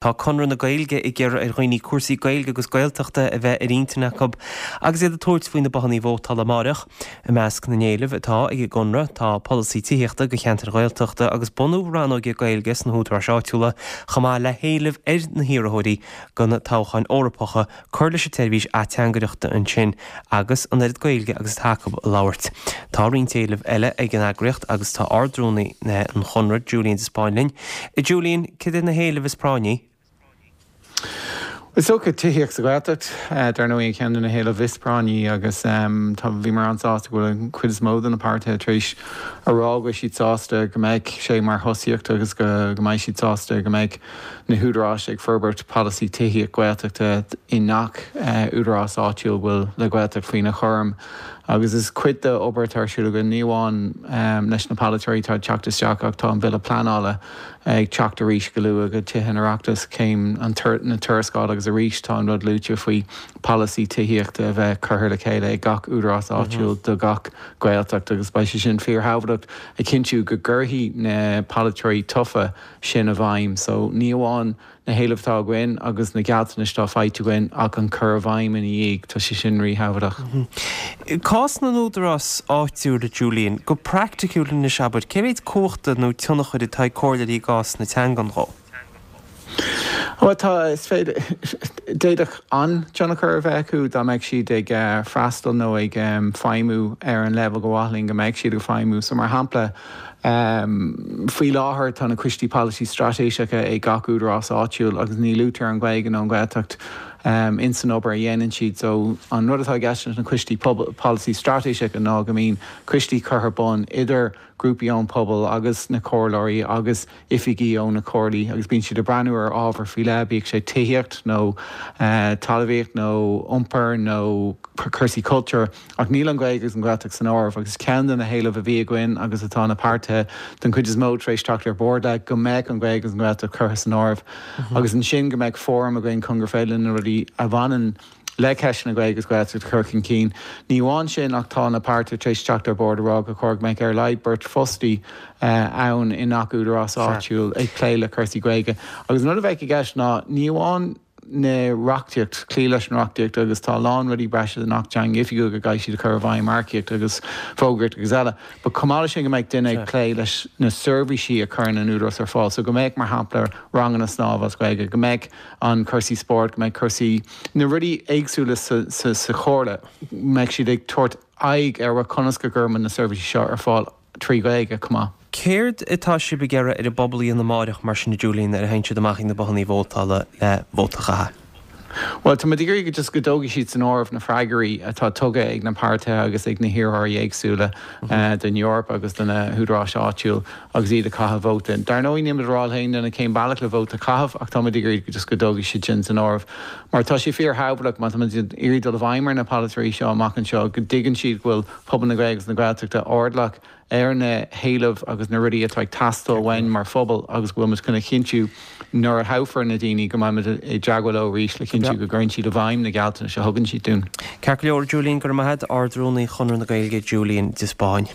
Tá Conradh na Gaeilge ag iarraidh ar dhaoine cúrsaí Gaeilge agus Gaeltachta a bheith ar intinn acu agus iad ag tabhairt faoi na bothannaí vótála amáireach. I measc na n-éileamh atá ag an gConradh tá polasaí tithíochta do cheantair Ghaeltachta agus bunú rannóige Gaeilge sna húdaráis áitiúla chomh maith le héileamh ar na hiarrthóirí do na toghcháin Eorpacha cur leis an tseirbhís ateangaireachta ansin agus an oiread Gaeilge agus atá acu a labhairt. Tá roinnt éileamh eile ag an eagraíocht agus tá Ard-Rúnaí an Chonradh, Julian de Spáinn linn. A Julian, cad iad na héilimh is práinní? Is dócha tithíocht sa Ghaeltacht, dar ndóigh, ceann de na héilimh is práinní agus tá, bhíomar an-sásta go bhfuil an chuid is mó de na páirtithe tar éis a rá go bhfuil siad sásta go mbeidh sé mar thosaíocht agus go mbeidh siad sásta go mbeidh na húdaráis ag forbairt polasaí tithíocht Gaeltachta i ngach údarás áitiúil a bhfuil le Gaeltacht faoina chúram. Agus is cuid de obair atá ar siúl againn, ní amháin leis na polaiteoirí atá ag teacht isteach ach tá an Bille Pleanála ag teacht arís go luath go Tithe an Oireachtais, céim na tuarascála agus arís tá an rud luaite faoi polasaí tithíochta a bheith curtha le chéile ag gach údarás áitiúil do gach Gaeltacht agus beidh sé sin fíorthábhachtach a chinntiú go gcuirfidh na polaiteoirí tofa sin i bhfeidhm. So ní amháin na héilimh atá againn agus na gealltanais atá faighte againn ach an cur i bhfeidhm ina dhiaidh, tá sé sin ríthábhachtach. Cás na n-údarás áitiúil, a Julian, go praiticiúil anois abair, cé mhéid cumhachta nó tionchair atá ag comhairleoirí i gcás na teangan dhó? Bhuel tá, is féidir, d'fhéadfadh an-tionchar a bheith acu dá mbeadh siad ag freastal nó ag feidhmiú ar an leibhéal gur mhaith linn go mbeadh siad ag feidhmiú. So mar shampla, Faoi láthair tá na Coistí Polasaí Straitéiseacha ag gach údarás áitiúil agus ní luaitear an Ghaeilge nó an Ghaeltacht ins an obair a dhéanann siad. So an rud atá i gceist leis na Coistí Polasaí Straitéiseacha ná go mbíonn coistí curtha ar bun idir grúpaí ón pobal agus na comhairleoirí agus oifigí ó na comhairlí agus bíonn siad ag breathnú ar ábhar faoi leith, bíodh sé tithíocht nó talmhaíocht nó iompar nó cúrsaí cultúir, ach níl an Ghaeilge agus an Ghaeltacht san áireamh agus ceann de na héilimh a bhí againn agus atá na páirtithe den chuid is mó tar éis teacht ar bord le, go mbeadh an Ghaeilge agus an Ghaeltacht curtha san áireamh agus ansin go mbeadh fóram againn chun gur féidir linn na rudaí a bhaineann le ceisteanna Gaeilge agus Gaeltacht a chur chun cinn. Ní amháin sin ach tá na páirtithe tar éis teacht ar bord a rá gur chóir go mbeadh ar a laghad beirt fostaí ann i ngach údarás áitiúil ag plé le cúrsaí Gaeilge. Agus an rud a bheadh i gceist ná ní amháin na reachtaíocht, cloí leis an reachtaíocht agus tá a lán rudaí breise den Acht Teanga Oifigiúil go gcaithfidh siad a chur i bhfeidhm, earcaíocht agus fógraíocht agus eile, but chomh maith leis sin go mbeadh duine ag plé leis na seirbhísí a chuireann an údarás ar fáil. So go mbeadh, mar shampla, ranganna snámha as Gaeilge, go mbeadh an cúrsaí spóirt, go mbeidh cúrsaí, na rudaí éagsúla sa chomhairle, go mbeidh siad ag tabhairt aghaidh ar conas go gcuirimid na seirbhísí seo ar fáil trí Ghaeilge chomh maith. Céard atá sibh ag iarraidh ar an bpobal a dhéanamh amáireach mar sin a Julian nuair a théann siad amach ag na bothannaí vótála le vóta a chaitheamh? Bhuel, tá muid ag iarraidh just go dtógfaidh siad san áireamh na freagraí atá tugtha ag na páirtithe agus ag na hiarrthóirí éagsúla don Eoraip agus do na húdaráis áitiúil agus iad ag caitheamh vóta. Dar ndóigh, níl muid ag rá le haon duine cén bealach le vóta a chaitheamh ach tá muid ag iarraidh just go dtógfaidh siad sin san áireamh mar tá sé fíorthábhachtach má tá muid ag iarraidh dul i bhfeidhm ar na polaiteoirí seo amach anseo go dtuigeann siad go bhfuil pobal na Gaeilge agus na Gaeltachta airdeallach ar na héilimh agus na rudaí atá ag teastáil uainn mar phobal agus go bhfuil muid chun a chinntiú nuair a thoghfar na daoine go mbeidh muid i dteagmháil leo arís le cinntiú go gcuireann siad i bhfeidhm na gealltanais a thugann siad dúinn. Ceart go leor, Julian, go raibh maith agat, Ard-Rúnaí Chonradh na Gaeilge, Julian de Spáinn.